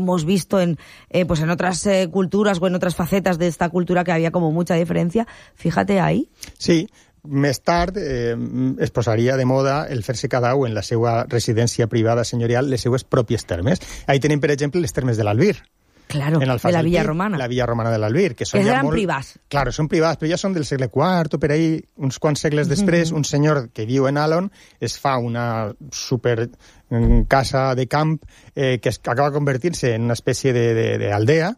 hemos visto en otras culturas o en otras facetas de esta cultura que había como mucha diferència. Fíjate ahí. Sí, més tard es posaria de moda el fer-se cada un en la seva residència privada senyorial les seues pròpies termes. Ahí tenim, per exemple, les termes de l'Albir. Claro, de la Villa Romana. La Villa Romana de l'Albir. Que eren privats. Claro, són privats, però ja són del segle IV o per ahí, uns quants segles després, un senyor que viu en Alon es fa una super casa de camp que acaba convertir-se en una espècie d'aldea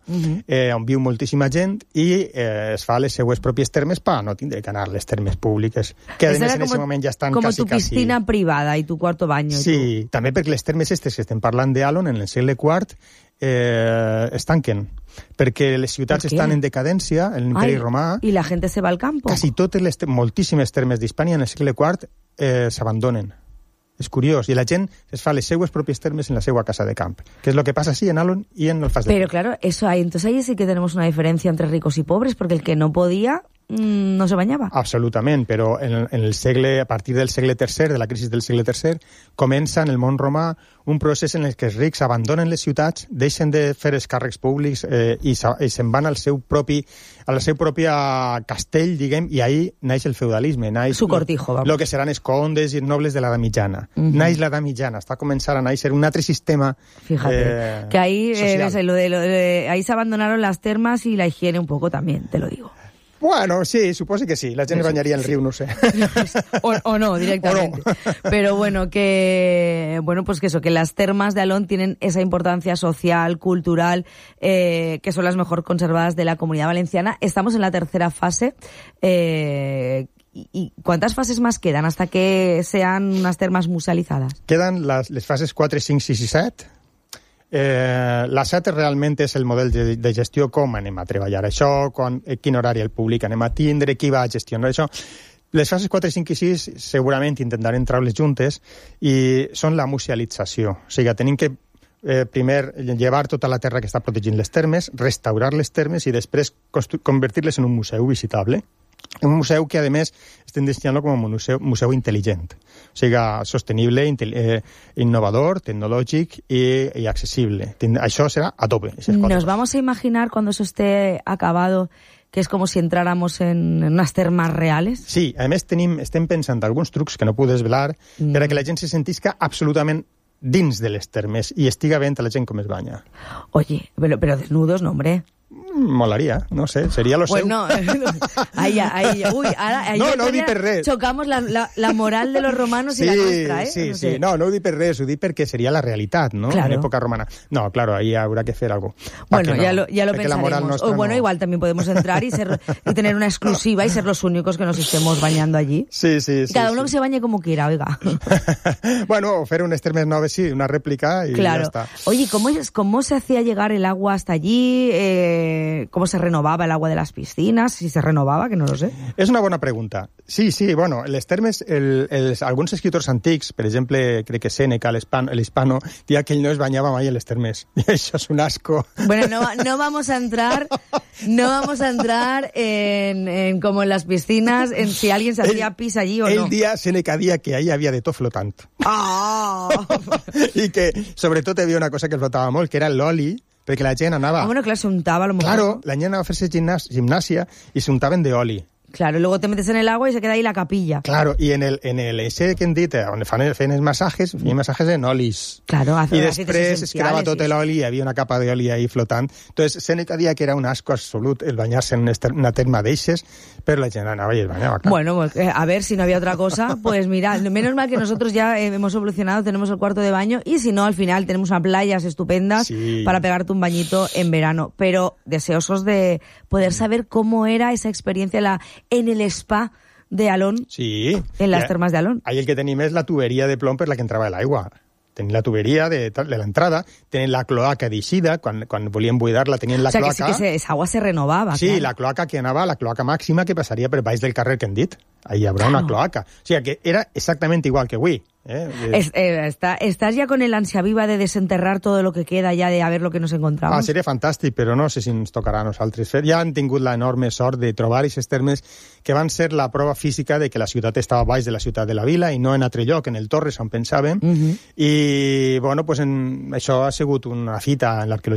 on viu moltíssima gent i es fa les seues pròpies termes per no tindre que anar a les termes públiques, que a més en aquest moment ja estan com quasi... Com tu piscina privada i tu cuarto baño. Sí, també perquè les termes estes que estem parlant d'Alon en el segle IV es tanquen, perquè les ciutats estan en decadència, en l'Imperi Romà. I la gent se va al campo. Quasi totes moltíssimes termes d'Hispània en el segle IV s'abandonen. És curiós, i la gent es fa les seues pròpies termes en la seva casa de camp, que és el que passa sí en Alon i en el Fas de Pero claro, eso hay, entonces ahí sí que tenemos una diferencia entre ricos y pobres, porque el que no podía no se bañava. Absolutament, però en el segle, a partir del segle III, de la crisi del segle III, comença en el món romà un procés en el que els rics abandonen les ciutats, deixen de fer els càrrecs públics i se'n van al seu propi castell, diguem, i ahí naix el feudalisme, naix su cortijo, vamos. Lo que seran els condes i els nobles de l'edat mitjana. Naix l'edat mitjana, està començant a naixer un altre sistema. Fíjate, que ahí ahí se abandonaron las termas y la higiene un poco también, te lo digo. Bueno, sí, suposo que sí. La gent bañaria en el riu, no sé. o no, directamente. O no. Pero bueno, que las termas de Alon tienen esa importancia social, cultural, que son las mejor conservadas de la Comunidad Valenciana. Estamos en la tercera fase. ¿Y cuántas fases más quedan hasta que sean unas termas musealizadas? Quedan les fases 4, 5, 6 i 7. La 7 realment és el model de gestió, com anem a treballar això, quin horari el públic anem a tindre, qui va a gestionar això. Les fases 4, 5 i 6 segurament intentarem treure-les juntes i són la musealització. O sigui, tenim que primer llevar tota la terra que està protegint les termes, restaurar les termes i després convertir-les en un museu visitable. Un museu que, a més, estem destinant-lo com a museu intel·ligent. O sigui, sostenible, innovador, tecnològic i accesible. Això serà a tope. Nos vamos a imaginar cuando eso esté acabado que es como si entráramos en unas termas reales? Sí, a més estem pensant alguns trucs que no puc desvelar per a que la gent se sentisca absolutament dins de les termes i estiga veient a la gent com es banya. Oye, pero desnudos, no, hombre. Molaria, no sé, seria lo seu. Bueno, ahí, uy, ahora no ho dic per res. Chocamos la moral de los romanos y la nuestra, Sí, no ho dic per res, ho dic perquè seria la realitat, ¿no? Claro. En època romana. No, claro, ahí habrá que hacer algo. Bueno, ya lo pensaremos. O bueno, igual también podemos entrar y tener una exclusiva y ser los únicos que nos estemos bañando allí. Sí. Cada uno que se bañe como quiera, oiga. Bueno, fer unes termes noves, sí, una réplica y claro. Ya está. Oye, ¿cómo se hacía llegar el agua hasta allí? ¿Cómo se renovava el agua de las piscinas? Si se renovava, que no lo sé. És una bona pregunta. Sí, bueno, les termes, alguns escriptors antics, per exemple, crec que Sèneca, l'Hispano, dia que ell no es banyava mai a les termes. I això és un asco. Bueno, no vamos a entrar en como en las piscinas, en si alguien se hacía pis allí o no. Sèneca dia que ahí havia de tot flotant. I que, sobretot, hi havia una cosa que flotava molt, que era l'oli, perquè la gent anava... bueno, claro, se untaba a lo mejor. Claro, la gent anava a fer-se gimnàsia i se untaven d'oli. Claro, luego te metes en el agua y se queda ahí la capilla. Claro, i en el ese que hem dit, on feien els massajes, feien massajes en olis. Claro, i després es quedava tot l'oli i hi havia una capa d'oli ahí flotant. Entonces, Sèneca dia que era un asco absolut el bañarse en una terma d'eixes, pero la gent anava i es bañaba. Bueno, a ver, si no había otra cosa, pues mira, menos mal que nosotros ya hemos evolucionado, tenemos el cuarto de baño y si no, al final tenemos unas playas estupendas para pegarte un bañito en verano. Pero deseosos de poder saber cómo era esa experiencia en el spa de Alon, en las termas de Alon. Ahí el que tenim és la tuberia de plom per la que entrava l'aigua. Tenim la tuberia de l'entrada, tenen la cloaca d'eixida, quan volien buidar-la tenien la cloaca. O sea, que sí que esa agua se renovava. Sí, claro. La cloaca que anava, la cloaca màxima que passaria per baix del carrer que hem dit. Ahí hi haurà una cloaca. O sigui, que era exactament igual que avui. Estás ya con el ansia viva de desenterrar todo lo que queda ya de a ver lo que nos encontramos. Seria fantàstic, però no sé si ens tocarà a nosaltres fer. Ja han tingut l'enorme sort de trobar aquests termes que van ser la prova física de que la ciutat estava baix de la ciutat de la vila i no en altre lloc, en el Torres, on pensàvem. I, bueno, pues això ha sigut una fita en l'arqueologia